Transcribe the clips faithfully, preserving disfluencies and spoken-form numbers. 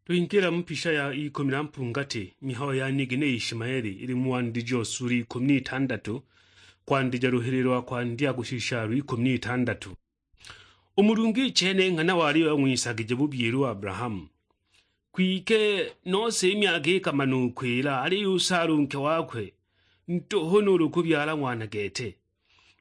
Twingila mu pisha ya ikumi na mpungati, mihayo ya nigine Ishimaeli, ili mu wandiji o sura ikumi n'itandatu, kwandija luhili lwa kwandya kushisha lw'ikumi n'itandatu. U Mulungu i chene nghana wali wang'wisagije bubyile u Abrahamu. Kwike nose i myaka ikamana u kwila, aliyo u Sara u nke wakwe ntuhu nuulu kubyala ng'wana gete.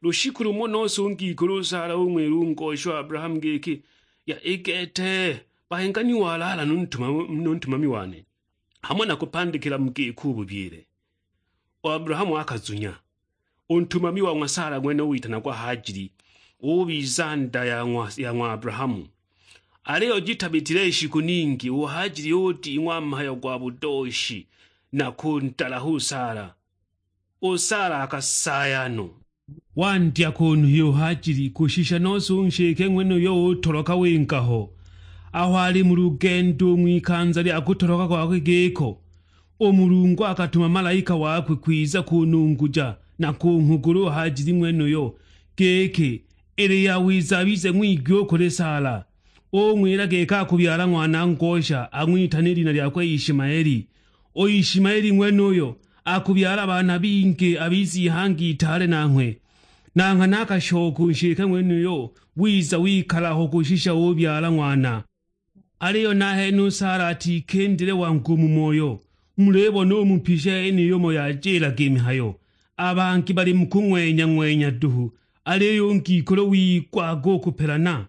Lushiku lumo nose u ngikulu u Sara ung'wila u ngosha Abrahamu giki, "Ya i gete, bahenga ni walaala nu ntuma-, nu ntumami wane, hamo nakupandikila mu giko u bubyile." U Abrahamu akazunya. U ntumami wa ng'wa Sara ng'wene witanagwa Hajili, ubiza nda ya ng'wa, ya ng'wa Abrahamu. Aliyo jitabitile shiku ningi, u Hajili uding'wa mhayo gwa budooshi na kuntalaha u Sara. U Sara akasaaya no. Wandya kunuhya u Hajili kushisha nose u nshike ng'wenuyo utoloka winga ho. Aho ali mu lugendo u ng'wikanza lya kutoloka kwakwe giko, u Mulungu akatuma malaika wakwe kwiza kununguja na kunghugula u Hajili ng'wenuyo, giki, ili yawiza abize ng'wigwi u kuli Sara. Ung'wila giki akubyala ng'wana ngosha, ang'witane i lina lyakwe Ishimaeli. U Ishimaeli ng'wenuyo akubyala baana bingi, abize ihanga itaale nanghwe. Na nghana akashoka u nshike ng'wenuyo, wiza wikala aho kushisha ubyala ng'wana. Aliyo nahene u Sara atikindile wangu u mu moyo. Mulibona u mu pisha yeniyo umo yajilaga i mihayo, a bangi bali mu kung'wenya-ng'wenya duhu, aliyo u ngikulu wigwaga u kupelana.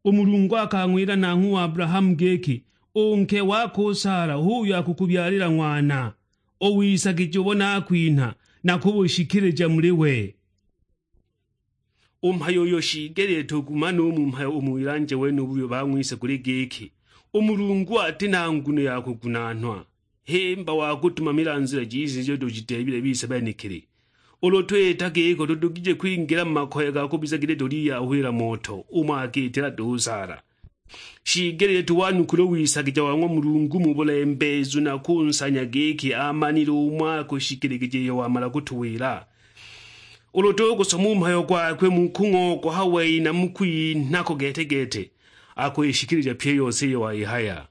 U Mulungu akang'wila nanghwe u Abrahamu giki, "U nke wako u Sara h'uyo akukubyalila ng'wana, u wisagije ubo nakwinha nakubushikilija muli we." U mhayo uyo shiigelile tugumane u mu mhayo u mu wilanje wenubu uyo bang'wise guli giki, u Mulungu ati na nguno ya kugunaanwa, himba wa kutumamila nzila jise ijo tujideebile bise benekili. Ulu twita giko, tudugije kwingila mu makoye ga kubiza giti tuliyahwila moto umo akiitila duhu Sara. Shiigelile tuwanukule u wisagija wa ng'wa Mulungu mu bulembeezu na kunsanya giki amanile umo akushikiligije iyo wamala kutuwila. Ulu tukusoma u mhayo gwakwe mu kung'ogoha wei na mu kwinhako gete-gete, akwishikilija pyi i yose iyo waihaya.